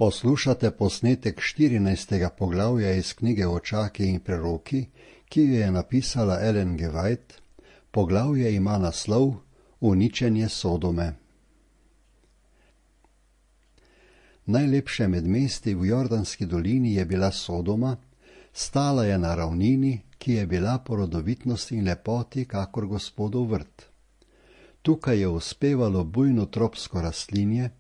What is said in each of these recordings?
Poslušate posnetek 14. poglavja iz knjige Očaki in preroki, ki jo je napisala Ellen G. White. Poglavje ima naslov Uničenje Sodome. Najlepše med mesti v Jordanski dolini je bila Sodoma, stala je na ravnini, ki je bila po rodovitnosti in lepoti kakor Gospodov vrt. Tukaj je uspevalo bujno tropsko rastlinje,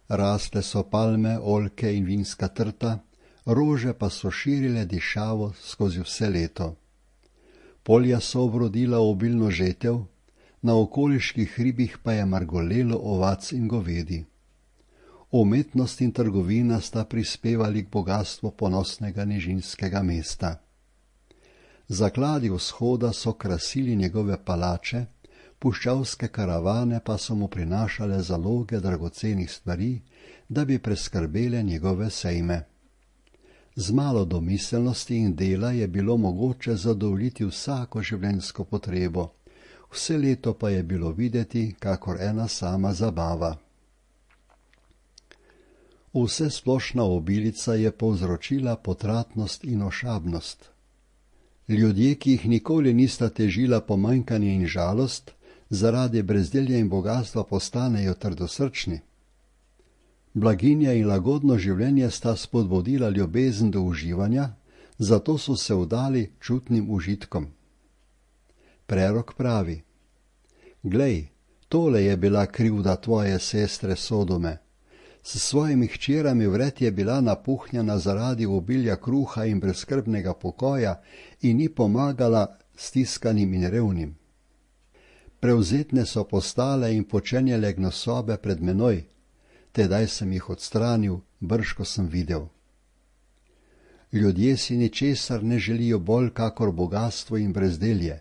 rasle so palme, oljke in vinska trta, rože pa so širile dišavo skozi vse leto. Polja so obrodila obilno žetev, na okoliških hribih pa je margolelo ovac in govedi. Umetnost in trgovina sta prispevali k bogastvu ponosnega nižinskega mesta. Zakladi vzhoda so krasili njegove palače, puščavske karavane pa so mu prinašale zaloge dragocenih stvari, da bi preskrbele njegove sejme. Z malo domiselnosti in dela je bilo mogoče zadovoljiti vsako življenjsko potrebo, vse leto pa je bilo videti kakor ena sama zabava. Vse splošna obilica je povzročila potratnost in ošabnost. Ljudje, ki jih nikoli nista težila pomanjkanje in žalost, zaradi brezdelja in bogatstva postanejo trdosrčni. Blaginja in lagodno življenje sta spodbudila ljubezen do uživanja, zato so se vdali čutnim užitkom. Prerok pravi: Glej, tole je bila krivda tvoje sestre Sodome. S svojimi hčerami vred je bila napuhnjena zaradi obilja kruha in brezskrbnega pokoja in ni pomagala stiskanim in revnim. Prevzetne so postale in počenjale gnosobe pred menoj, tedaj sem jih odstranil, brž ko sem videl. Ljudje si ničesar ne želijo bolj kakor bogastvo in brezdelje,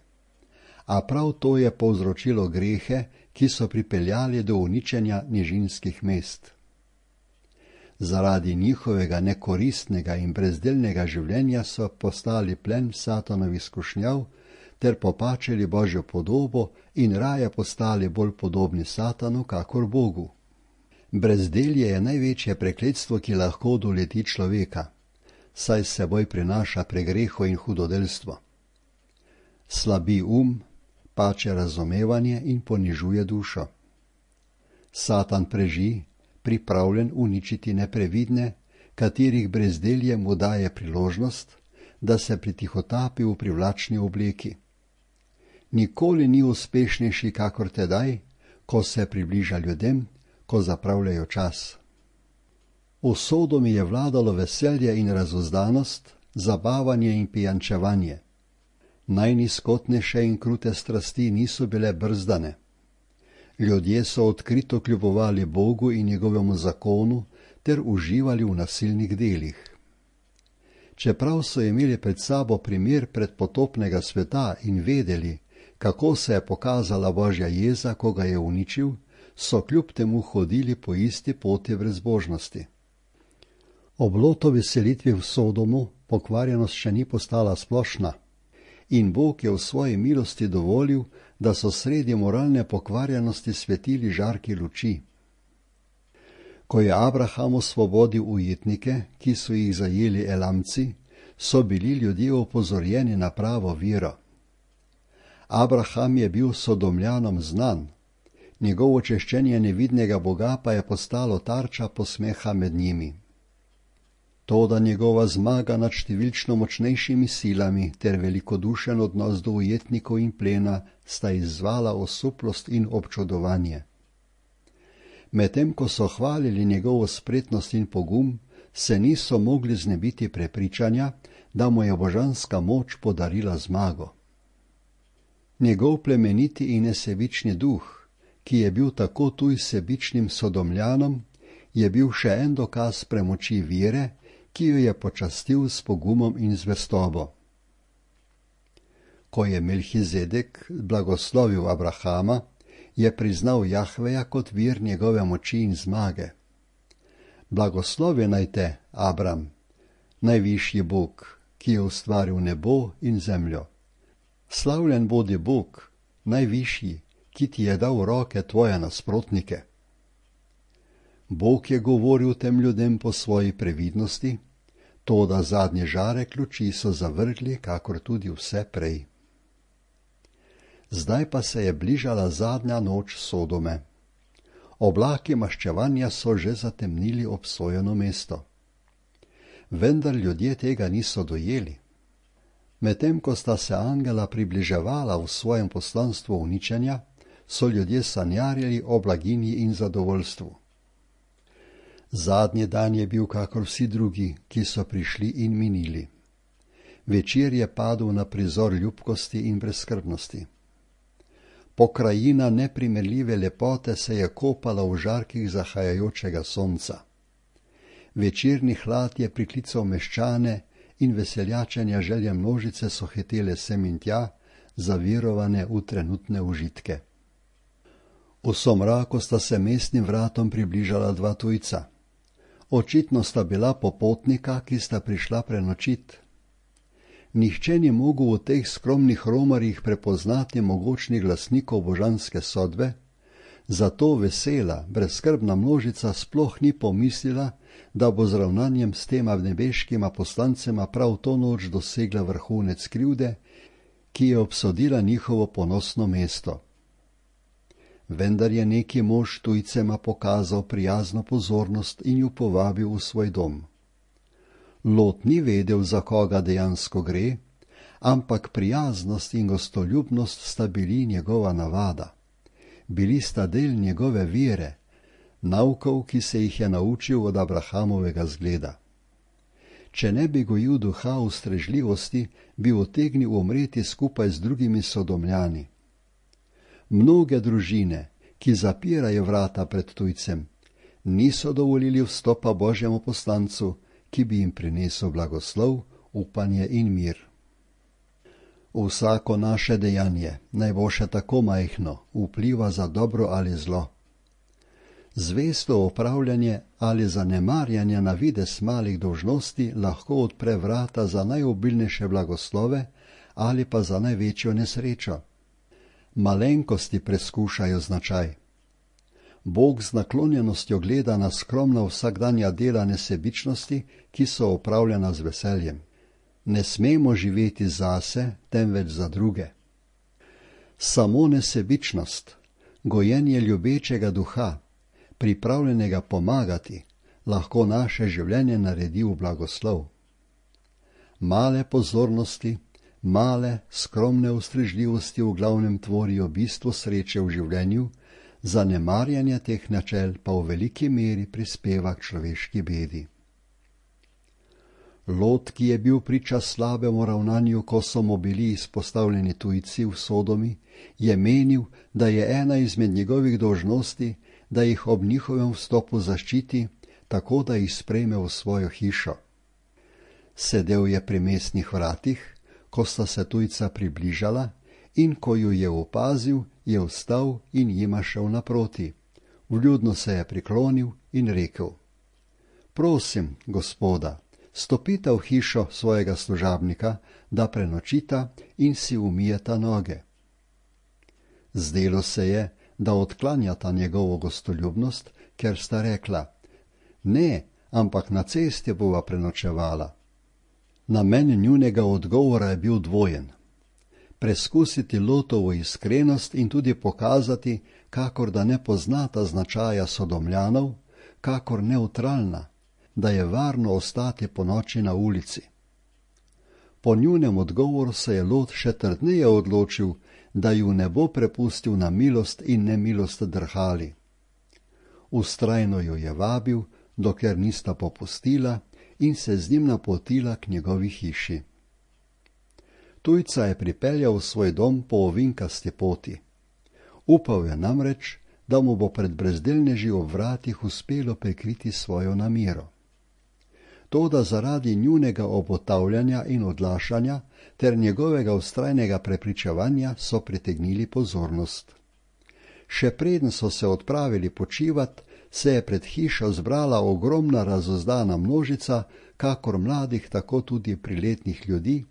a prav to je povzročilo grehe, ki so pripeljali do uničenja nižinskih mest. Zaradi njihovega nekoristnega in brezdelnega življenja so postali plen Satanovih skušnjav ter popačili Božjo podobo in raje postali bolj podobni Satanu kakor Bogu. Brezdelje je največje prekletstvo, ki lahko doleti človeka, saj s seboj prinaša pregreho in hudodelstvo. Slabi pače razumevanje in ponižuje dušo. Satan preži, pripravljen uničiti neprevidne, katerih brezdelje mu daje priložnost, da se pritihotapi v privlačni obleki. Nikoli ni uspešnejši kakor tedaj, ko se približa ljudem, ko zapravljajo čas. V Sodomi je vladalo veselje in razuzdanost, zabavanje in pijančevanje. Najnizkotnejše in krute strasti niso bile brzdane. Ljudje so odkrito kljubovali Bogu in njegovemu zakonu ter uživali v nasilnih delih. Čeprav so imeli pred sabo primer predpotopnega sveta in vedeli, kako se je pokazala Božja jeza, ko ga je uničil, so kljub temu hodili po isti poti brezbožnosti. Ob Lotovi selitvi v Sodomu pokvarjenost še ni postala splošna in Bog je v svoji milosti dovolil, da so sredi moralne pokvarjenosti svetili žarki luči. Ko je Abraham osvobodil ujetnike, ki so jih zajeli Elamci, so bili ljudje opozorjeni na pravo vero. Abraham je bil Sodomljanom znan, njegovo češčenje nevidnega Boga pa je postalo tarča posmeha med njimi. Toda njegova zmaga nad številčno močnejšimi silami ter velikodušen odnos do ujetnikov in plena sta izzvala osuplost in občudovanje. Medtem ko so hvalili njegovo spretnost in pogum, se niso mogli znebiti prepričanja, da mu je božanska moč podarila zmago. Njegov plemeniti in nesebični duh, ki je bil tako tuj sebičnim Sodomljanom, je bil še en dokaz premoči vere, ki jo je počastil s pogumom in zvestobo. Ko je Melhizedek blagoslovil Abrahama, je priznal Jahveja kot vir njegove moči in zmage. Blagoslovi naj te, Abram, najvišji Bog, ki je ustvaril nebo in zemljo. Slavljen bodi Bog, najvišji, ki ti je dal v roke tvoje nasprotnike. Bog je govoril tem ljudem po svoji previdnosti, toda zadnje žarek luči so zavrgli, kakor tudi vse prej. Zdaj pa se je bližala zadnja noč Sodome. Oblaki maščevanja so že zatemnili obsojeno mesto. Vendar ljudje tega niso dojeli. Medtem ko sta se angela približevala v svojem poslanstvu uničenja, so ljudje sanjarili o blaginji in zadovoljstvu. Zadnji dan je bil kakor vsi drugi, ki so prišli in minili. Večer je padel na prizor ljubkosti in brezskrbnosti. Pokrajina neprimerljive lepote se je kopala v žarkih zahajajočega sonca. Večerni hlad je priklical meščane in veseljačenja želje množice so hitele sem in tja, zavirovane v trenutne užitke. V somraku sta se mestnim vratom približala dva tujca. Očitno sta bila popotnika, ki sta prišla prenočit. Nihče ni mogel v teh skromnih romarjih prepoznati mogočnih glasnikov božanske sodbe, zato vesela, brezskrbna množica sploh ni pomislila, da bo z ravnanjem s tema nebeškima poslancema prav to noč dosegla vrhunec krivde, ki je obsodila njihovo ponosno mesto. Vendar je neki mož tujcema pokazal prijazno pozornost in ju povabil v svoj dom. Lot ni vedel, za koga dejansko gre, ampak prijaznost in gostoljubnost sta bili njegova navada. Bili sta del njegove vere, naukov, ki se jih je naučil od Abrahamovega zgleda. Če ne bi gojil duha ustrežljivosti, bi utegnil umreti skupaj z drugimi Sodomljani. Mnoge družine, ki zapirajo vrata pred tujcem, niso dovolili vstopa Božjemu poslancu, ki bi jim prinesel blagoslov, upanje in mir. Vsako naše dejanje, naj bo še tako majhno, vpliva za dobro ali zlo. Zvesto opravljanje ali zanemarjanje na vides malih dolžnosti lahko odpre vrata za najobilnejše blagoslove ali pa za največjo nesrečo. Malenkosti preskušajo značaj. Bog z naklonjenostjo gleda na skromna vsakdanja dela nesebičnosti, ki so opravljena z veseljem. Ne smemo živeti zase, temveč za druge. Samo nesebičnost, gojenje ljubečega duha, pripravljenega pomagati, lahko naše življenje naredi v blagoslov. Male pozornosti, male, skromne ustrežljivosti v glavnem tvorijo bistvo sreče v življenju, zanemarjanje teh načel pa v veliki meri prispeva k človeški bedi. Lot, ki je bil priča slabemu ravnanju, ko so mu bili izpostavljeni tujci v Sodomi, je menil, da je ena izmed njegovih dolžnosti, da jih ob njihovem vstopu zaščiti, tako da jih sprejme v svojo hišo. Sedel je pri mestnih vratih, ko sta se tujca približala, in ko ju je opazil, je vstal in jima šel naproti. Vljudno se je priklonil in rekel: Prosim, gospoda, stopita v hišo svojega služabnika, da prenočita in si umijeta noge. Zdelo se je, da odklanjata njegovo gostoljubnost, ker sta rekla: Ne, ampak na cesti bova prenočevala. Namen njunega odgovora je bil dvojen. Preskusiti Lotovo iskrenost in tudi pokazati, kakor da ne poznata značaja Sodomljanov, kakor neutralna, da je varno ostati ponoči na ulici. Po njunem odgovoru se je Lot še trdneje odločil, da ju ne bo prepustil na milost in nemilost drhali. Vztrajno ju je vabil, dokler nista popustila in se z njim napotila k njegovi hiši. Tujca je pripeljal v svoj dom po ovinkasti poti. Upal je namreč, da mu bo pred brezdelneži ob vratih uspelo prikriti svojo namero. Toda zaradi njunega obotavljanja in odlašanja ter njegovega vztrajnega prepričevanja so pritegnili pozornost. Še preden so se odpravili počivat, se je pred hišo zbrala ogromna razozdana množica, kakor mladih, tako tudi priletnih ljudi,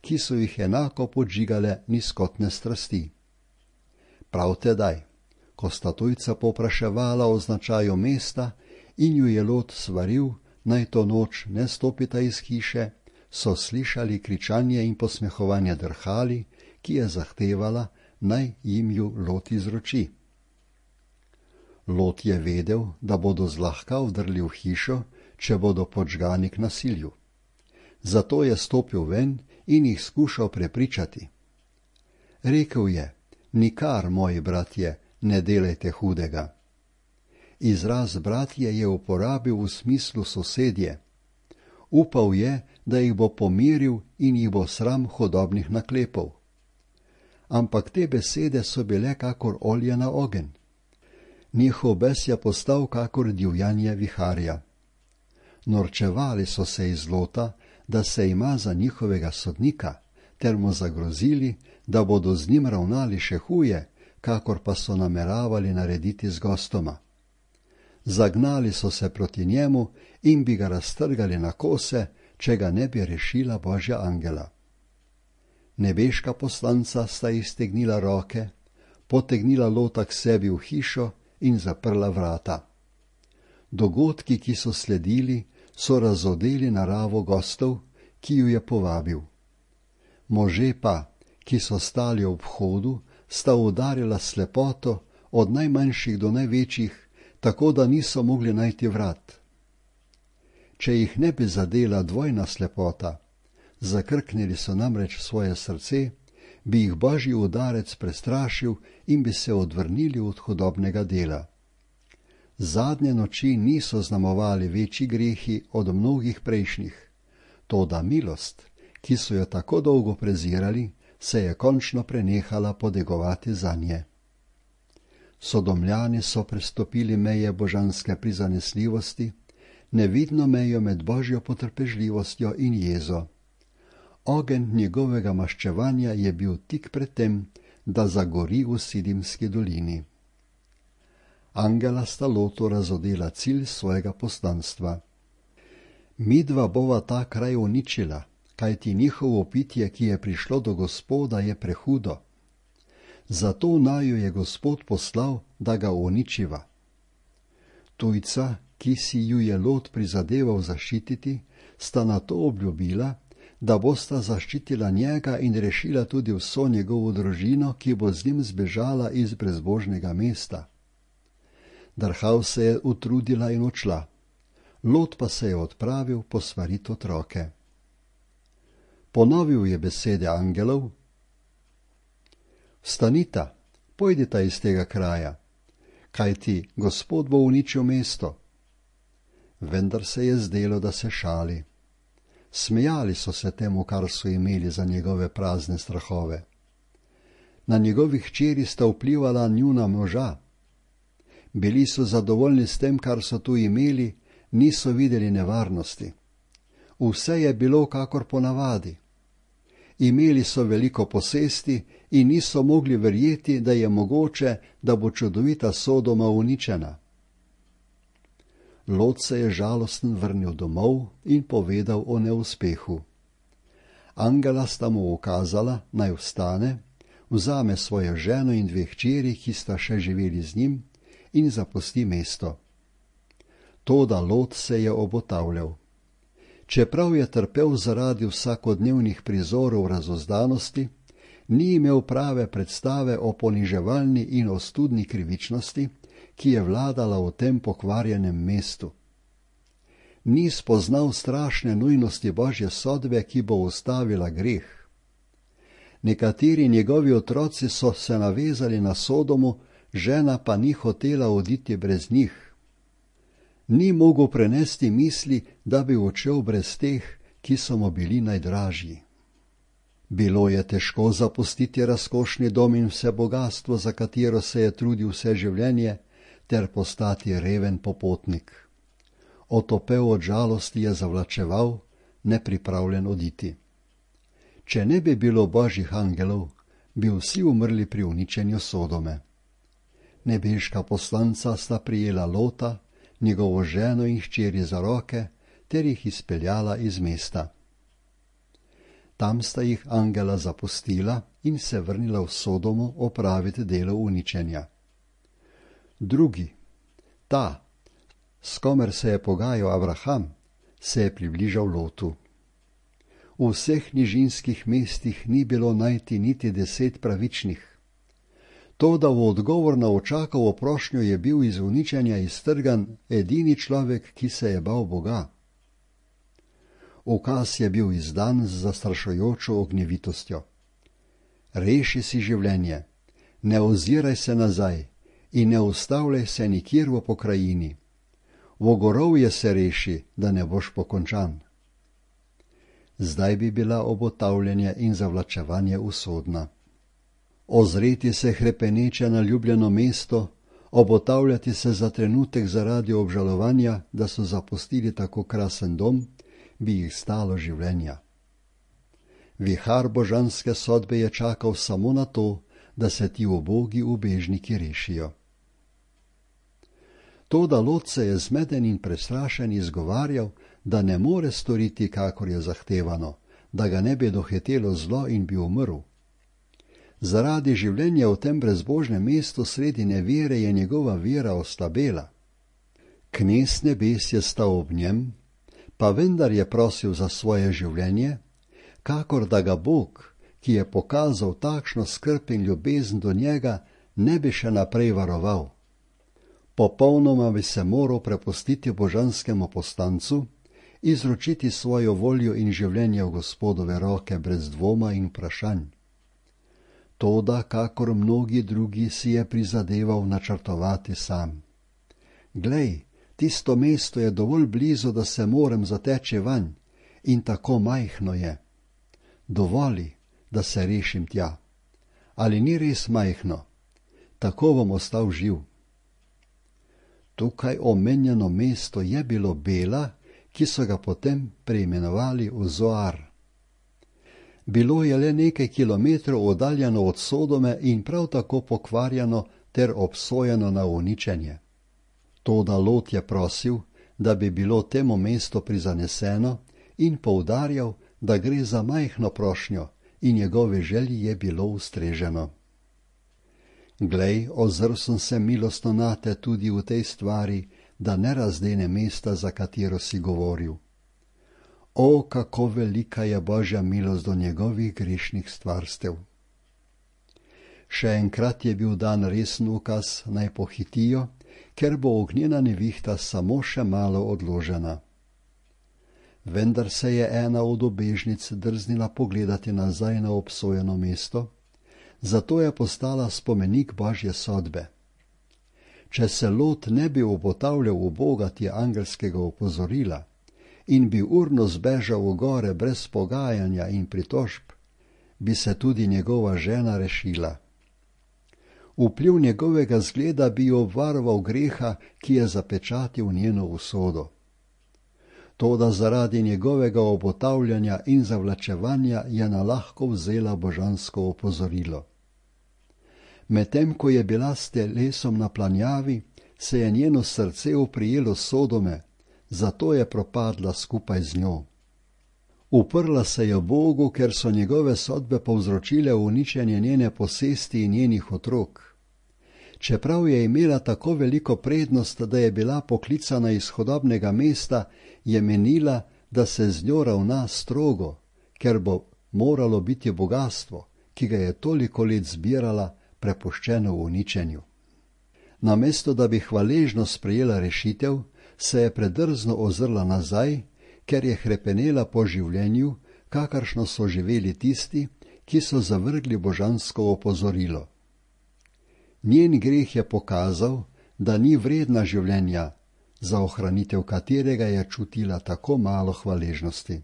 ki so jih enako podžigale nizkotne strasti. Prav tedaj, ko sta tujca povpraševala o značaju mesta, in ju je Lot svaril, naj to noč ne stopita iz hiše, so slišali kričanje in posmehovanje drhali, ki je zahtevala, naj jim ju Lot izroči. Lot je vedel, da bodo zlahka vdrli v hišo, če bodo podžgani k nasilju. Zato je stopil ven in jih skušal prepričati. Rekel je, nikar, moji bratje, ne delajte hudega. Izraz bratje je uporabil v smislu sosedje. Upal je, da jih bo pomiril in jih bo sram hudobnih naklepov. Ampak te besede so bile kakor olje na ogenj. Njihov bes je postal kakor divjanje viharja. Norčevali so se iz Lota, da se ima za njihovega sodnika, ter mu zagrozili, da bodo z njim ravnali še huje, kakor pa so nameravali narediti z gostoma. Zagnali so se proti njemu in bi ga raztrgali na kose, če ga ne bi rešila Božja angela. Nebeška poslanca sta iztegnila roke, potegnila Lota k sebi v hišo in zaprla vrata. Dogodki, ki so sledili, so razodeli naravo gostov, ki ju je povabil. Može pa, ki so stali ob vhodu, sta udarila slepoto od najmanjših do največjih, tako da niso mogli najti vrat. Če jih ne bi zadela dvojna slepota, zakrknili so namreč svoje srce, bi jih Božji udarec prestrašil in bi se odvrnili od hudobnega dela. Zadnje noči niso znamovali večji grehi od mnogih prejšnjih, toda milost, ki so jo tako dolgo prezirali, se je končno prenehala podegovati zanje. Sodomljani so prestopili meje božanske prizanesljivosti, nevidno mejo med Božjo potrpežljivostjo in jezo. Ogenj njegovega maščevanja je bil tik pred tem, da zagori v Sidimski dolini. Angela sta Lotu razodela cilj svojega poslanstva. Midva bova ta kraj uničila, kajti njihovo pitje, ki je prišlo do Gospoda, je prehudo. Zato naju je Gospod poslal, da ga uničiva. Tujca, ki si ju je Lot prizadeval zaščititi, sta nato obljubila, da bosta zaščitila njega in rešila tudi vso njegovo družino, ki bo z njim zbežala iz brezbožnega mesta. Drhal se je utrudila in odšla. Lot pa se je odpravil posvarit otroke. Ponovil je besede angelov. Vstanita, pojdita iz tega kraja, kajti Gospod bo uničil mesto. Vendar se je zdelo, da se šali. Smejali so se temu, kar so imeli za njegove prazne strahove. Na njegovih hčeri sta vplivala njuna moža. Bili so zadovoljni s tem, kar so tu imeli, niso videli nevarnosti. Vse je bilo kakor ponavadi. Imeli so veliko posesti in niso mogli verjeti, da je mogoče, da bo čudovita Sodoma uničena. Lot se je žalosten vrnil domov in povedal o neuspehu. Angela sta mu ukazala, naj vstane, vzame svojo ženo in dve hčeri, ki sta še živeli z njim, in zapusti mesto. Toda Lot se je obotavljal. Čeprav je trpel zaradi vsakodnevnih prizorov razuzdanosti, ni imel prave predstave o poniževalni in ostudni krivičnosti, ki je vladala v tem pokvarjenem mestu. Ni spoznal strašne nujnosti Božje sodbe, ki bo ustavila greh. Nekateri njegovi otroci so se navezali na Sodomu, žena pa ni hotela oditi brez njih. Ni mogel prenesti misli, da bi odšel brez teh, ki so mu bili najdražji. Bilo je težko zapustiti razkošni dom in vse bogastvo, za katero se je trudil vse življenje, ter postati reven popotnik. Otopel od žalosti je zavlačeval, nepripravljen oditi. Če ne bi bilo Božjih angelov, bi vsi umrli pri uničenju Sodome. Nebeška poslanca sta prijela Lota, njegovo ženo in hčeri za roke, ter jih izpeljala iz mesta. Tam sta jih angela zapustila in se vrnila v Sodomu opraviti delo uničenja. Drugi, ta, s komer se je pogajal Abraham, se je približal Lotu. V vseh nižinskih mestih ni bilo najti niti 10 pravičnih. Toda v odgovor na očakovo prošnjo je bil iz uničenja iztrgan edini človek, ki se je bal Boga. Ukaz je bil izdan z zastrašujočo ognjevitostjo. Reši si življenje, ne oziraj se nazaj in ne ustavljaj se nikjer v pokrajini. V gorovje se reši, da ne boš pokončan. Zdaj bi bila obotavljanje in zavlačevanje usodna. Ozreti se hrepeneče na ljubljeno mesto, obotavljati se za trenutek zaradi obžalovanja, da so zapustili tako krasen dom, bi jih stalo življenja. Vihar božanske sodbe je čakal samo na to, da se ti ubogi ubežniki rešijo. Toda Lot se je zmeden in prestrašen izgovarjal, da ne more storiti, kakor je zahtevano, da ga ne bi dohitelo zlo in bi umrl. Zaradi življenja v tem brezbožnem mestu sredi nevere je njegova vera oslabela. Knez nebes je stal ob njem, pa vendar je prosil za svoje življenje, kakor da ga Bog, ki je pokazal takšno skrb in ljubezen do njega, ne bi še naprej varoval. Popolnoma bi se moral prepustiti božanskemu postancu, izročiti svojo voljo in življenje v Gospodove roke brez dvoma in vprašanj. Toda, kakor mnogi drugi, si je prizadeval načrtovati sam. Glej, tisto mesto je dovolj blizu, da se morem zateči vanj, in tako majhno je. Dovoli, da se rešim tja. Ali ni res majhno? Tako bom ostal živ. Tukaj omenjeno mesto je bilo Bela, ki so ga potem preimenovali v Zoar. Bilo je le nekaj kilometrov oddaljeno od Sodome in prav tako pokvarjeno ter obsojeno na uničenje. Toda Lot je prosil, da bi bilo temu mesto prizaneseno in poudarjal, da gre za majhno prošnjo in njegove želji je bilo ustreženo. Glej, ozrl sem se milostno nate tudi v tej stvari, da ne razdene mesta, za katero si govoril. O, kako velika je Božja milost do njegovih grešnih stvarstev. Še enkrat je bil dan resen ukaz, naj pohitijo, ker bo ognjena nevihta samo še malo odložena. Vendar se je ena od ubežnic drznila pogledati nazaj na obsojeno mesto, zato je postala spomenik Božje sodbe. Če se Lot ne bi obotavljal v bogati angelskega opozorila in bi urno zbežal v gore brez pogajanja in pritožb, bi se tudi njegova žena rešila. Vpliv njegovega zgleda bi jo obvaroval greha, ki je zapečatil njeno usodo. Toda zaradi njegovega obotavljanja in zavlačevanja je nalahko vzela božansko opozorilo. Medtem ko je bila s telesom na planjavi, se je njeno srce oprijelo Sodome, zato je propadla skupaj z njo. Uprla se je Bogu, ker so njegove sodbe povzročile uničenje njene posesti in njenih otrok. Čeprav je imela tako veliko prednost, da je bila poklicana iz hudobnega mesta, je menila, da se z njo ravna strogo, ker bo moralo biti bogastvo, ki ga je toliko let zbirala, prepuščeno v uničenju. Namesto da bi hvaležno sprejela rešitev, se je predrzno ozrla nazaj, ker je hrepenela po življenju, kakršno so živeli tisti, ki so zavrgli božansko opozorilo. Njen greh je pokazal, da ni vredna življenja, za ohranitev katerega je čutila tako malo hvaležnosti.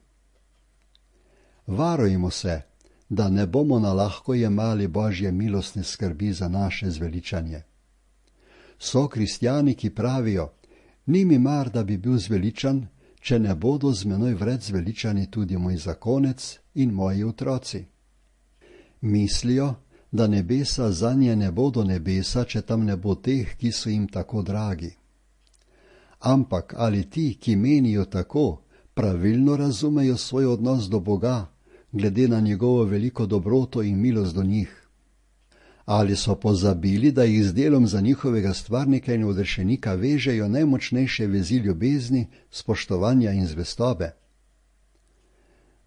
Varujmo se, da ne bomo nalahko jemali Božje milostne skrbi za naše zveličanje. So kristjani, ki pravijo, ni mi mar, da bi bil zveličan, če ne bodo z menoj vred zveličani tudi moj zakonec in moji otroci. Mislijo, da nebesa zanje ne bodo nebesa, če tam ne bo teh, ki so jim tako dragi. Ampak ali ti, ki menijo tako, pravilno razumejo svoj odnos do Boga, glede na njegovo veliko dobroto in milost do njih? Ali so pozabili, da jih z delom za njihovega stvarnika in odrešenika vežejo najmočnejše vezi ljubezni, spoštovanja in zvestobe?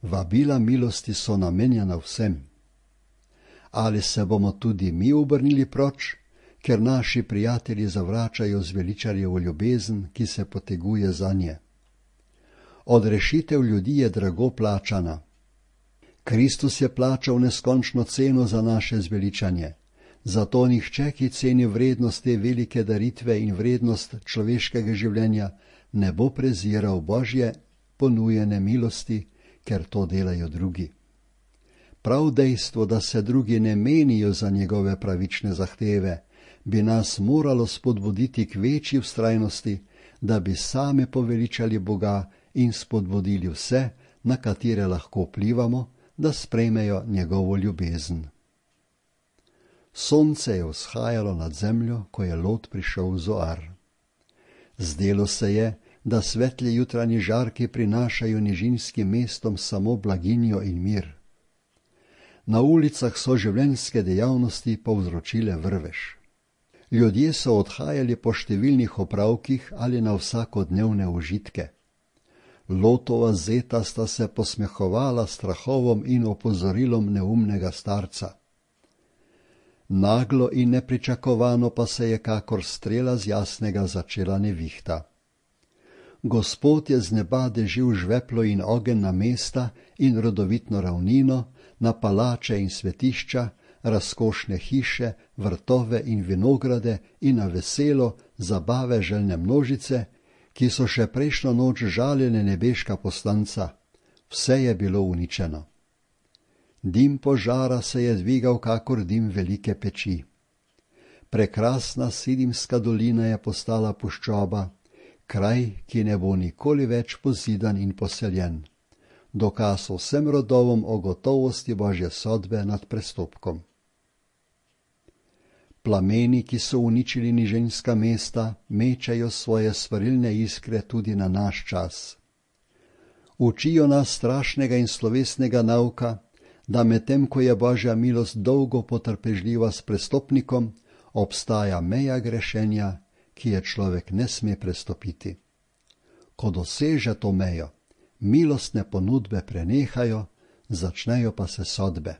Vabila milosti so namenjena vsem. Ali se bomo tudi mi obrnili proč, ker naši prijatelji zavračajo zveličarjevo ljubezen, ki se poteguje zanje? Odrešitev ljudi je drago plačana. Kristus je plačal neskončno ceno za naše zveličanje. Zato nihče, ki ceni vrednost te velike daritve in vrednost človeškega življenja, ne bo preziral Božje ponujene milosti, ker to delajo drugi. Prav dejstvo, da se drugi ne menijo za njegove pravične zahteve, bi nas moralo spodbuditi k večji vztrajnosti, da bi sami poveličali Boga in spodbudili vse, na katere lahko vplivamo, da sprejmejo njegovo ljubezen. Sonce je vzhajalo nad zemljo, ko je Lot prišel v Zoar. Zdelo se je, da svetli jutranji žarki prinašajo nižinskim mestom samo blaginjo in mir. Na ulicah so življenjske dejavnosti povzročile vrvež. Ljudje so odhajali po številnih opravkih ali na vsakodnevne užitke. Lotova zeta sta se posmehovala strahovom in opozorilom neumnega starca. Naglo in nepričakovano pa se je kakor strela z jasnega začela nevihta. Gospod je z neba dežil žveplo in ogenj na mesta in rodovitno ravnino, na palače in svetišča, razkošne hiše, vrtove in vinograde in na veselo, zabave željne množice, ki so še prejšnjo noč žalile nebeška poslanca. Vse je bilo uničeno. Dim požara se je dvigal kakor dim velike peči. Prekrasna Sidimska dolina je postala puščoba, kraj, ki ne bo nikoli več pozidan in poseljen. Dokaz vsem rodovom o gotovosti Božje sodbe nad prestopkom. Plameni, ki so uničili nižinska mesta, mečajo svoje svarilne iskre tudi na naš čas. Učijo nas strašnega in slovesnega nauka, da medtem ko je Božja milost dolgo potrpežljiva s prestopnikom, obstaja meja grešenja, ki je človek ne sme prestopiti. Ko doseže to mejo, milostne ponudbe prenehajo, začnejo pa se sodbe.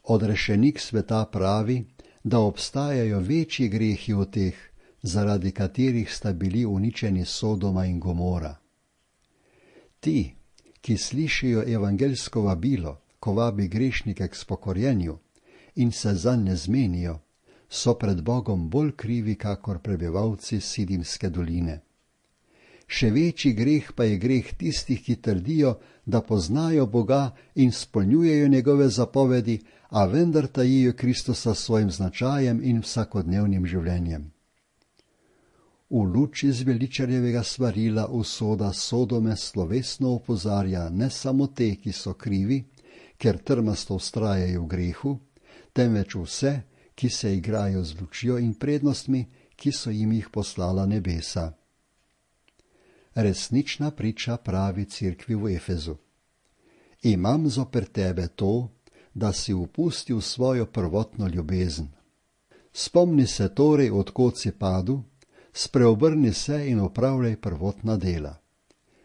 Odrešenik sveta pravi, da obstajajo večji grehi od teh, zaradi katerih sta bili uničeni Sodoma in Gomora. Ti, ki slišijo evangeljsko vabilo, ko vabi grešnike k spokorjenju in se zanj ne zmenijo, so pred Bogom bolj krivi kakor prebivalci Sidimske doline. Še večji greh pa je greh tistih, ki trdijo, da poznajo Boga in spolnjujejo njegove zapovedi, a vendar tajijo Kristusa s svojim značajem in vsakodnevnim življenjem. V luči zveličarjevega svarila usoda Sodome slovesno opozarja ne samo te, ki so krivi, ker trmasto vztrajajo v grehu, temveč vse, ki se igrajo z lučjo in prednostmi, ki so jim jih poslala nebesa. Resnična priča pravi cerkvi v Efezu. Imam zoper tebe to, da si upustil svojo prvotno ljubezen. Spomni se torej, odkot si padel, spreobrni se in opravljaj prvotna dela.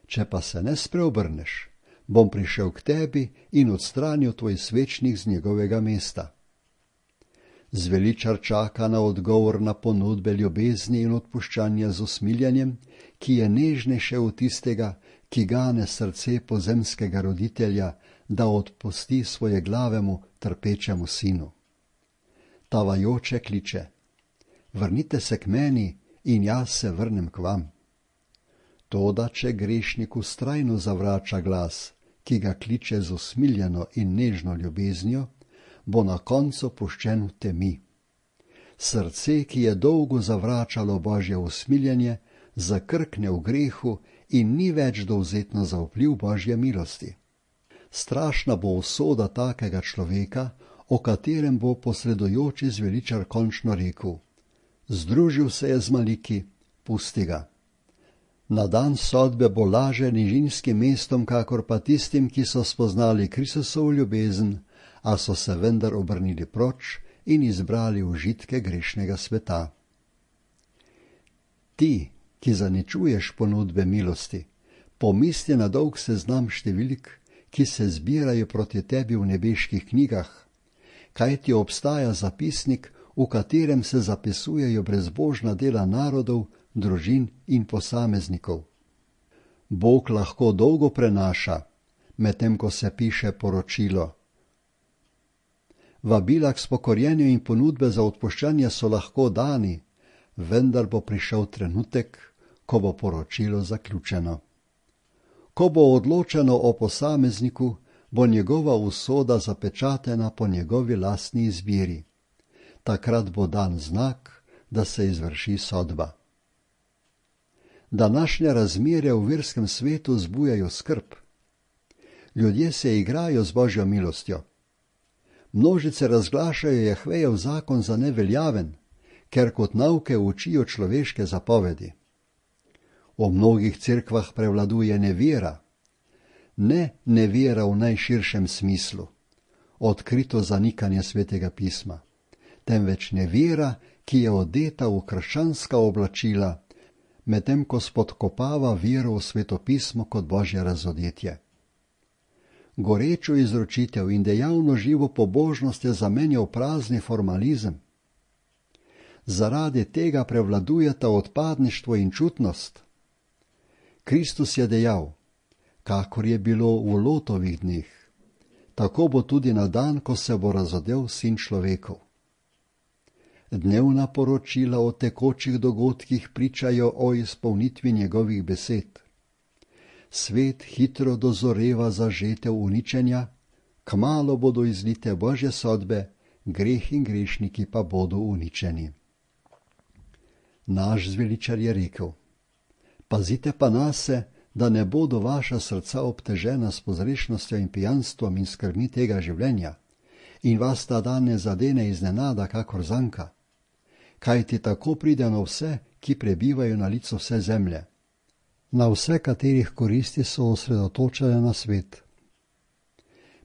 Če pa se ne spreobrneš, bom prišel k tebi in odstranil tvoj svečnik z njegovega mesta. Zveličar čaka na odgovor na ponudbe ljubezni in odpuščanja z usmiljanjem, ki je nežnejše od tistega, ki gane srce pozemskega roditelja, da odpusti svoje glavemu, trpečemu sinu. Tavajoče kliče: vrnite se k meni in jaz se vrnem k vam. Toda, če grešnik vztrajno zavrača glas, ki ga kliče z usmiljeno in nežno ljubeznijo, bo na koncu puščen v temi. Srce, ki je dolgo zavračalo Božje usmiljenje, zakrkne v grehu in ni več dovzetno za vpliv Božje milosti. Strašna bo usoda takega človeka, o katerem bo posredujoči zveličar končno rekel: združil se je z maliki, pusti ga. Na dan sodbe bo laže nižinskim mestom, kakor pa tistim, ki so spoznali Kristusovo ljubezen, a so se vendar obrnili proč in izbrali užitke grešnega sveta. Ti, ki zaničuješ ponudbe milosti, pomisli na dolg seznam številk, ki se zbirajo proti tebi v nebeških knjigah, kajti obstaja zapisnik, v katerem se zapisujejo brezbožna dela narodov, družin in posameznikov. Bog lahko dolgo prenaša, medtem ko se piše poročilo. Vabila k spokorjenju in ponudbe za odpuščanje so lahko dani, vendar bo prišel trenutek, ko bo poročilo zaključeno. Ko bo odločeno o posamezniku, bo njegova usoda zapečatena po njegovi lastni izbiri. Takrat bo dan znak, da se izvrši sodba. Današnje razmere v verskem svetu zbujajo skrb. Ljudje se igrajo z Božjo milostjo. Množice razglašajo Jahvejev zakon za neveljaven, ker kot nauke učijo človeške zapovedi. V mnogih cerkvah prevladuje nevera. Ne nevera v najširšem smislu, odkrito zanikanje svetega pisma, temveč nevera, ki je odeta v krščanska oblačila, medtem ko spodkopava vero v svetopismo kot Božje razodetje. Gorečo izročitev in dejavno živo pobožnost je zamenjal prazni formalizem. Zaradi tega prevladujeta odpadništvo in čutnost. Kristus je dejal, kakor je bilo v Lotovih dneh, tako bo tudi na dan, ko se bo razodel Sin človekov. Dnevna poročila o tekočih dogodkih pričajo o izpolnitvi njegovih besed. Svet hitro dozoreva za žetev uničenja, kmalu bodo izlite Božje sodbe, greh in grešniki pa bodo uničeni. Naš zveličar je rekel, pazite pa nase, da ne bodo vaša srca obtežena s pozrešnostjo in pijanstvom in skrbmi tega življenja, in vas ta dan ne zadene iznenada kakor zanka, kajti tako pride na vse, ki prebivajo na licu vse zemlje, na vse, katerih koristi so osredotočene na svet.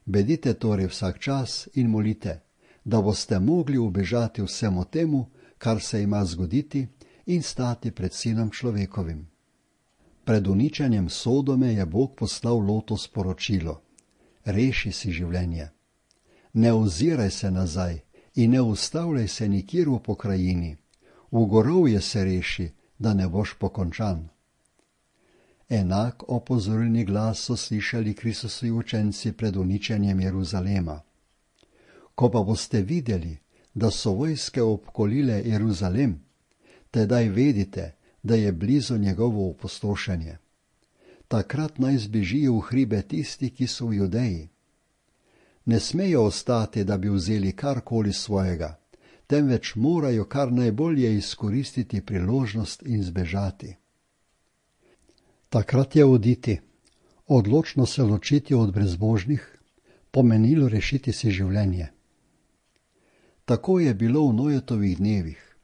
Bedite torej vsak čas in molite, da boste mogli ubežati vsemu temu, kar se ima zgoditi, in stati pred Sinom človekovim. Pred uničenjem Sodome je Bog poslal Lotu sporočilo: reši si življenje. Ne oziraj se nazaj in ne ustavljaj se nikjer v pokrajini. V gorovje se reši, da ne boš pokončan. Enak opozorilni glas so slišali Kristusovi učenci pred uničenjem Jeruzalema. Ko pa boste videli, da so vojske obkolile Jeruzalem, tedaj vedite, da je blizu njegovo opustošenje. Takrat naj zbežijo v hribe tisti, ki so v Judeji. Ne smejo ostati, da bi vzeli karkoli svojega, temveč morajo kar najbolje izkoristiti priložnost in zbežati. Takrat je oditi, odločno se ločiti od brezbožnih, pomenilo rešiti si življenje. Tako je bilo v Nojetovih dnevih,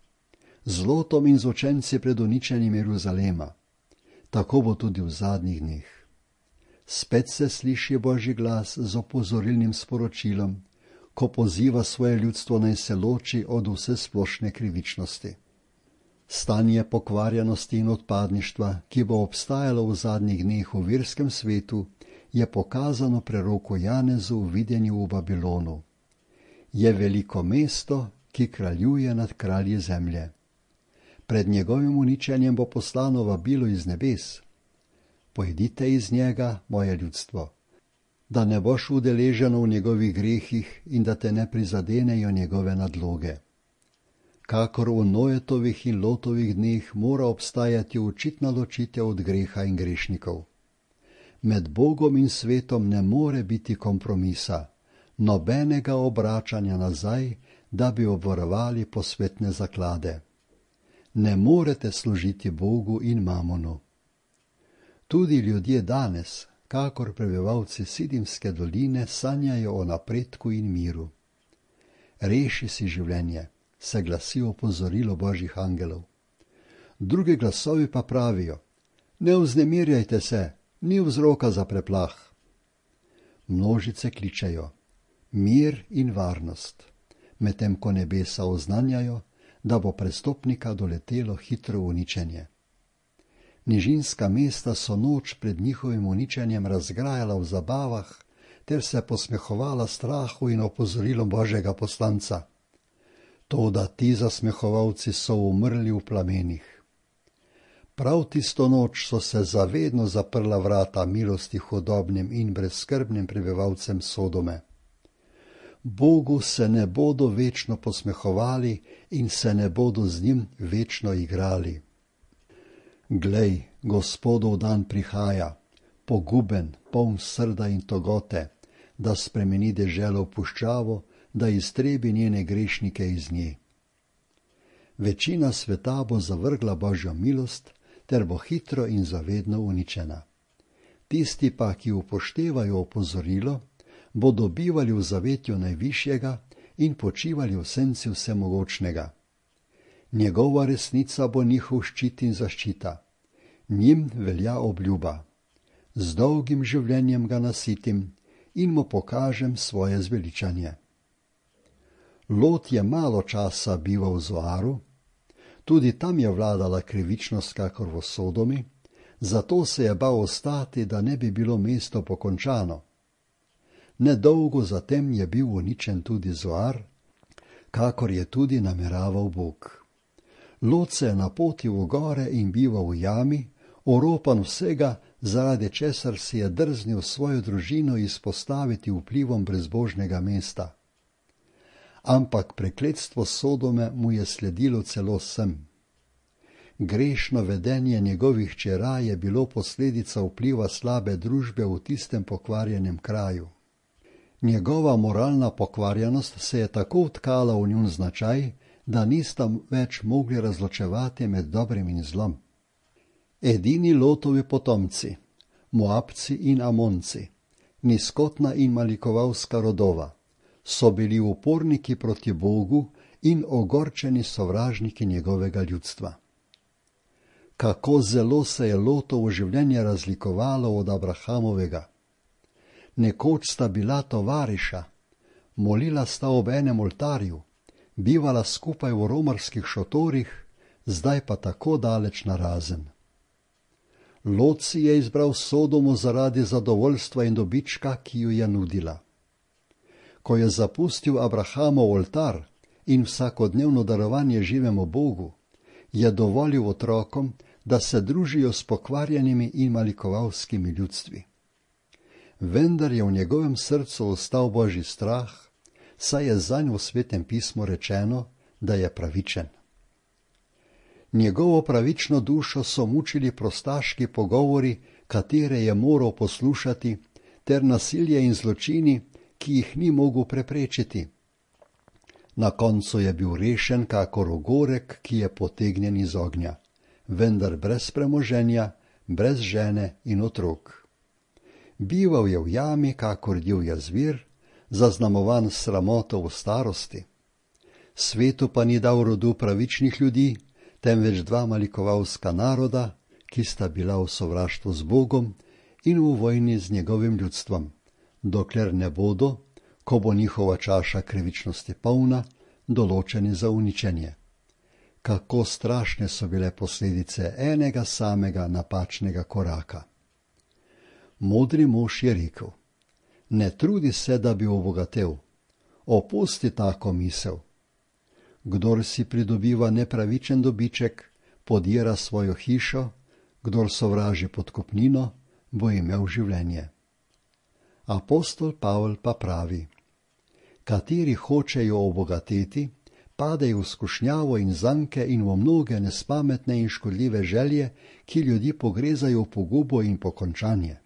z Lotom in z učenci pred uničenjem Jeruzalema. Tako bo tudi v zadnjih dneh. Spet se sliši Božji glas z opozorilnim sporočilom, ko poziva svoje ljudstvo naj se loči od vse splošne krivičnosti. Stanje pokvarjenosti in odpadništva, ki bo obstajalo v zadnjih dneh v verskem svetu, je pokazano preroku Janezu v videnju v Babilonu. Je veliko mesto, ki kraljuje nad kralji zemlje. Pred njegovim uničenjem bo poslano vabilo iz nebes. Pojdite iz njega, moje ljudstvo, da ne boš udeleženo v njegovih grehih in da te ne prizadenejo njegove nadloge. Kakor v Nojetovih in Lotovih dneh mora obstajati očitna ločitev od greha in grešnikov. Med Bogom in svetom ne more biti kompromisa, nobenega obračanja nazaj, da bi obvarovali posvetne zaklade. Ne morete služiti Bogu in mamonu. Tudi ljudje danes, kakor prebivalci Sidimske doline, sanjajo o napredku in miru. Reši si življenje, se glasi opozorilo Božjih angelov. Drugi glasovi pa pravijo: ne vznemirjajte se, ni vzroka za preplah. Množice kličejo: mir in varnost. medtem ko nebesa oznanjajo, da bo prestopnika doletelo hitro uničenje. Nižinska mesta so noč pred njihovim uničenjem razgrajala v zabavah ter se posmehovala strahu in opozorilom Božjega poslanca. Toda ti zasmehovalci so umrli v plamenih. Prav tisto noč so se zavedno zaprla vrata milosti hudobnim in brezskrbnim prebivalcem Sodome. Bogu se ne bodo večno posmehovali in se ne bodo z njim večno igrali. Glej, Gospodov dan prihaja, poguben, poln srda in togote, da spremeni deželo v puščavo, da iztrebi njene grešnike iz nje. Večina sveta bo zavrgla Božjo milost, ter bo hitro in zavedno uničena. Tisti pa, ki upoštevajo opozorilo, bodo bivali v zavetju Najvišjega in počivali v senci Vsemogočnega. Njegova resnica bo njihov ščit in zaščita. Njim velja obljuba. Z dolgim življenjem ga nasitim in mu pokažem svoje zveličanje. Lot je malo časa bival v Zoaru, tudi tam je vladala krivičnost kakor v Sodomi, zato se je bal ostati, da ne bi bilo mesto pokončano. Nedolgo zatem je bil uničen tudi Zoar, kakor je tudi nameraval Bog. Lot se je napotil v gore in bival v jami, oropan vsega, zaradi česar si je drznil svojo družino izpostaviti vplivom brezbožnega mesta. Ampak prekletstvo Sodome mu je sledilo celo sem. Grešno vedenje njegovih hčera je bilo posledica vpliva slabe družbe v tistem pokvarjenem kraju. Njegova moralna pokvarjenost se je tako vtkala v njun značaj, da nista več mogli razločevati med dobrim in zlom. Edini Lotovi potomci, Moabci in Amonci, nizkotna in malikovalska rodova, so bili uporniki proti Bogu in ogorčeni sovražniki njegovega ljudstva. Kako zelo se je Lotovo življenje razlikovalo od Abrahamovega. Nekoč sta bila tovariša, molila sta ob enem oltarju, bivala skupaj v romarskih šotorih, zdaj pa tako daleč narazen. Lot si je izbral Sodomo zaradi zadovoljstva in dobička, ki ju je nudila. Ko je zapustil Abrahamov oltar in vsakodnevno darovanje živemu Bogu, je dovolil otrokom, da se družijo s pokvarjenimi in malikovalskimi ljudstvi. Vendar je v njegovem srcu ostal Božji strah, saj je zanj v Svetem pismu rečeno, da je pravičen. Njegovo pravično dušo so mučili prostaški pogovori, katere je moral poslušati, ter nasilje in zločini, ki jih ni mogel preprečiti. Na koncu je bil rešen kakor ogorek, ki je potegnjen iz ognja, vendar brez premoženja, brez žene in otrok. Bival je v jami kakor divja zvir, zaznamovan s sramoto v starosti. Svetu pa ni dal rodu pravičnih ljudi, temveč dva malikovalska naroda, ki sta bila v sovraštvu z Bogom in v vojni z njegovim ljudstvom, dokler ne bodo, ko bo njihova čaša krivičnosti polna, določeni za uničenje. Kako strašne so bile posledice enega samega napačnega koraka. Modri mož je rekel: ne trudi se, da bi obogatel, opusti tako misel. Kdor si pridobiva nepravičen dobiček, podira svojo hišo, kdor sovraži podkupnino, bo imel življenje. Apostol Pavel pa pravi: kateri hočejo obogateti, padejo v skušnjavo in zanke in v mnoge nespametne in škodljive želje, ki ljudi pogrezajo v pogubo in pokončanje.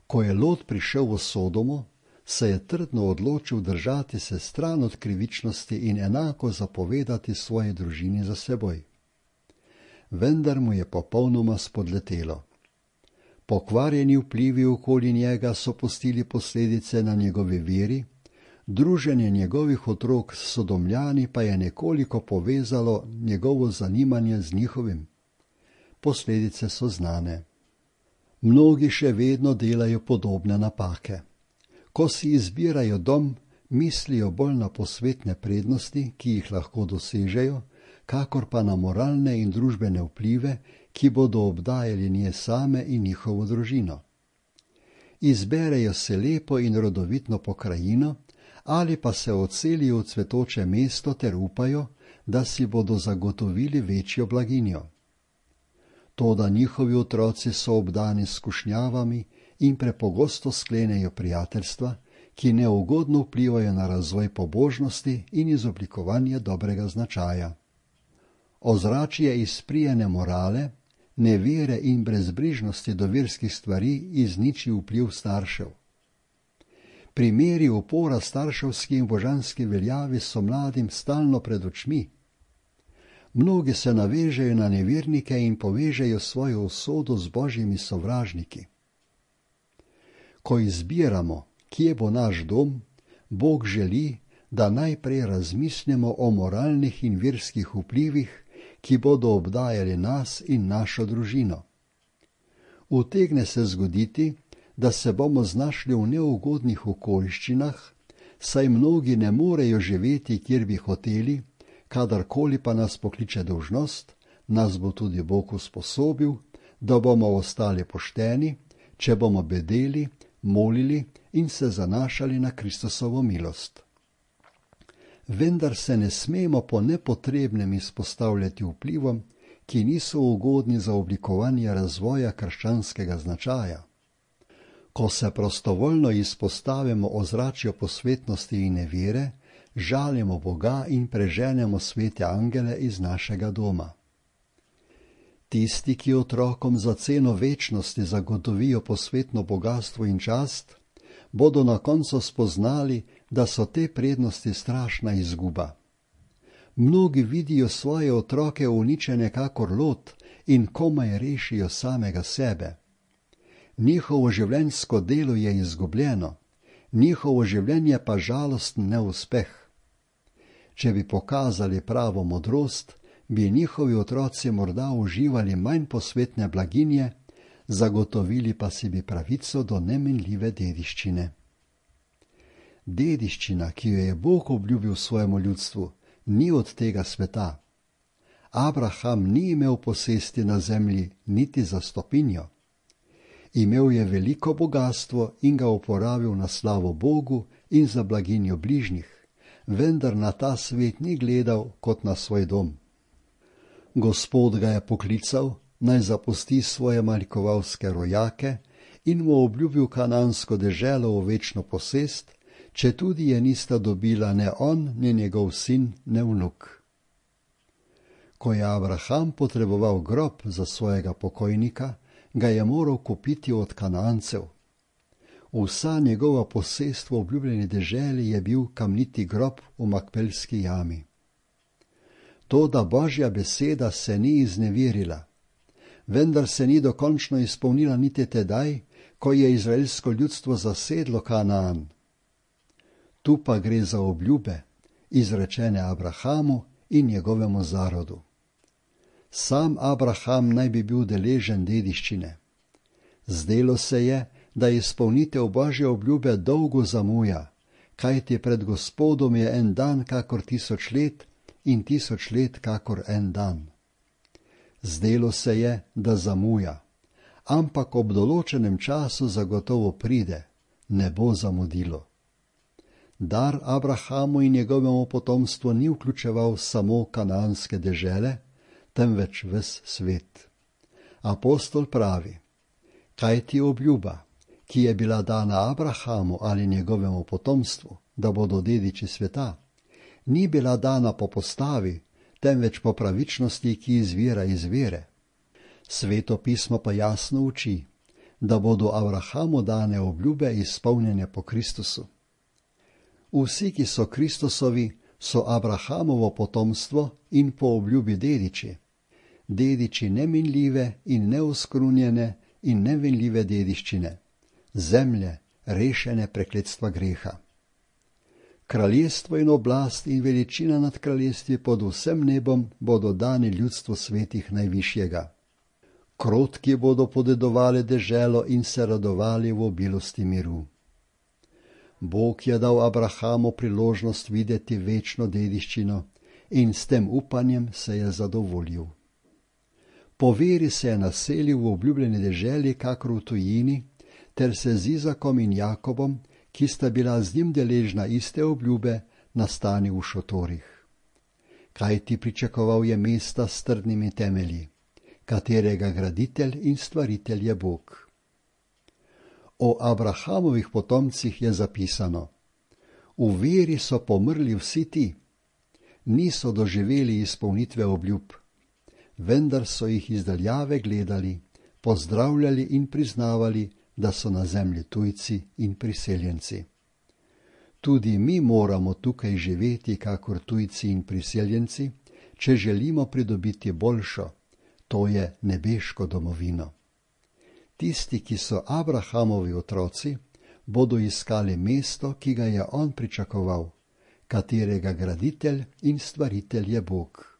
Ko je Lot prišel v Sodomo, se je trdno odločil držati se stran od krivičnosti in enako zapovedati svoji družini za seboj. Vendar mu je popolnoma spodletelo. Pokvarjeni vplivi okoli njega so pustili posledice na njegovi veri, druženje njegovih otrok s Sodomljani pa je nekoliko povezalo njegovo zanimanje z njihovim. Posledice so znane. Mnogi še vedno delajo podobne napake. Ko si izbirajo dom, mislijo bolj na posvetne prednosti, ki jih lahko dosežejo, kakor pa na moralne in družbene vplive, ki bodo obdajali nje same in njihovo družino. Izberejo se lepo in rodovitno pokrajino ali pa se odselijo v cvetoče mesto ter upajo, da si bodo zagotovili večjo blaginjo. Toda njihovi otroci so obdani s skušnjavami in prepogosto sklenejo prijateljstva, ki neugodno vplivajo na razvoj pobožnosti in izoblikovanje dobrega značaja. Ozračje izprijene morale, nevere in brezbrižnosti do verskih stvari izniči vpliv staršev. Primeri upora starševski in božanski veljavi so mladim stalno pred očmi. Mnogi se navežejo na nevernike in povežejo svojo usodo z božjimi sovražniki. Ko izbiramo, kje bo naš dom, Bog želi, da najprej razmislimo o moralnih in verskih vplivih, ki bodo obdajali nas in našo družino. Utegne se zgoditi, da se bomo znašli v neugodnih okoliščinah, saj mnogi ne morejo živeti, kjer bi hoteli, kadarkoli pa nas pokliče dolžnost, nas bo tudi Bog usposobil, da bomo ostali pošteni, če bomo bedeli, molili in se zanašali na Kristusovo milost. Vendar se ne smemo po nepotrebnem izpostavljati vplivom, ki niso ugodni za oblikovanje razvoja krščanskega značaja. Ko se prostovoljno izpostavimo ozračju posvetnosti in nevere, žalimo Boga in preženemo svete angele iz našega doma. Tisti, ki otrokom za ceno večnosti zagotovijo posvetno bogastvo in čast, bodo na koncu spoznali, da so te prednosti strašna izguba. Mnogi vidijo svoje otroke uničene kakor Lot in komaj rešijo samega sebe. Njihovo življenjsko delo je izgubljeno, njihovo življenje pa žalosten neuspeh. Če bi pokazali pravo modrost, bi njihovi otroci morda uživali manj posvetne blaginje, zagotovili pa si bi pravico do neminljive dediščine. Dediščina, ki jo je Bog obljubil svojemu ljudstvu, ni od tega sveta. Abraham ni imel posesti na zemlji niti za stopinjo. Imel je veliko bogastvo in ga uporabil na slavo Bogu in za blaginjo bližnjih, vendar na ta svet ni gledal kot na svoj dom. Gospod ga je poklical, naj zapusti svoje malikovalske rojake in mu obljubil kanansko deželo v večno posest, četudi je nista dobila ne on, ne njegov sin, ne vnuk. Ko je Abraham potreboval grob za svojega pokojnika, ga je moral kupiti od Kanancev. Vsa njegova posest v obljubljeni deželi je bil kamniti grob v Makpelski jami. Toda Božja beseda se ni izneverila, vendar se ni dokončno izpolnila niti tedaj, ko je izraelsko ljudstvo zasedlo Kanaan. Tu pa gre za obljube, izrečene Abrahamu in njegovemu zarodu. Sam Abraham naj bi bil deležen dediščine. Zdelo se je, da izpolnitev Božje obljube dolgo zamuja, kajti pred Gospodom je en dan kakor 1000 let in 1000 let kakor en dan. Zdelo se je, da zamuja, ampak ob določenem času zagotovo pride, ne bo zamudilo. Dar Abrahamu in njegovemu potomstvu ni vključeval samo kanaanske dežele, temveč ves svet. Apostol pravi, kaj ti obljuba, ki je bila dana Abrahamu ali njegovemu potomstvu, da bodo dediči sveta, ni bila dana po postavi, temveč po pravičnosti, ki izvira iz vere. Sveto pismo pa jasno uči, da bodo Abrahamu dane obljube izpolnjene po Kristusu. Vsi, ki so Kristusovi, so Abrahamovo potomstvo in po obljubi dediči. Dediči neminljive in neoskrunjene in nevinljive dediščine, zemlje, rešene prekletstva greha. Kraljestvo in oblast in veličina nad kraljestvi pod vsem nebom bodo dani ljudstvu svetih najvišjega. Krotki bodo podedovali deželo in se radovali v obilosti miru. Bog je dal Abrahamu priložnost videti večno dediščino in s tem upanjem se je zadovoljil. Po veri se je naselil v obljubljeni deželi kakor v tujini, ter se z Izakom in Jakobom, ki sta bila z njim deležna iste obljube, nastanil v šotorih. Kajti pričakoval je mesta s trdnimi temelji, katerega graditelj in stvaritelj je Bog. O Abrahamovih potomcih je zapisano: v veri so pomrli vsi ti, niso doživeli izpolnitve obljub, vendar so jih izdaljave gledali, pozdravljali in priznavali, da so na zemlji tujci in priseljenci. Tudi mi moramo tukaj živeti kakor tujci in priseljenci, če želimo pridobiti boljšo, to je nebeško domovino. Tisti, ki so Abrahamovi otroci, bodo iskali mesto, ki ga je on pričakoval, katerega graditelj in stvaritelj je Bog.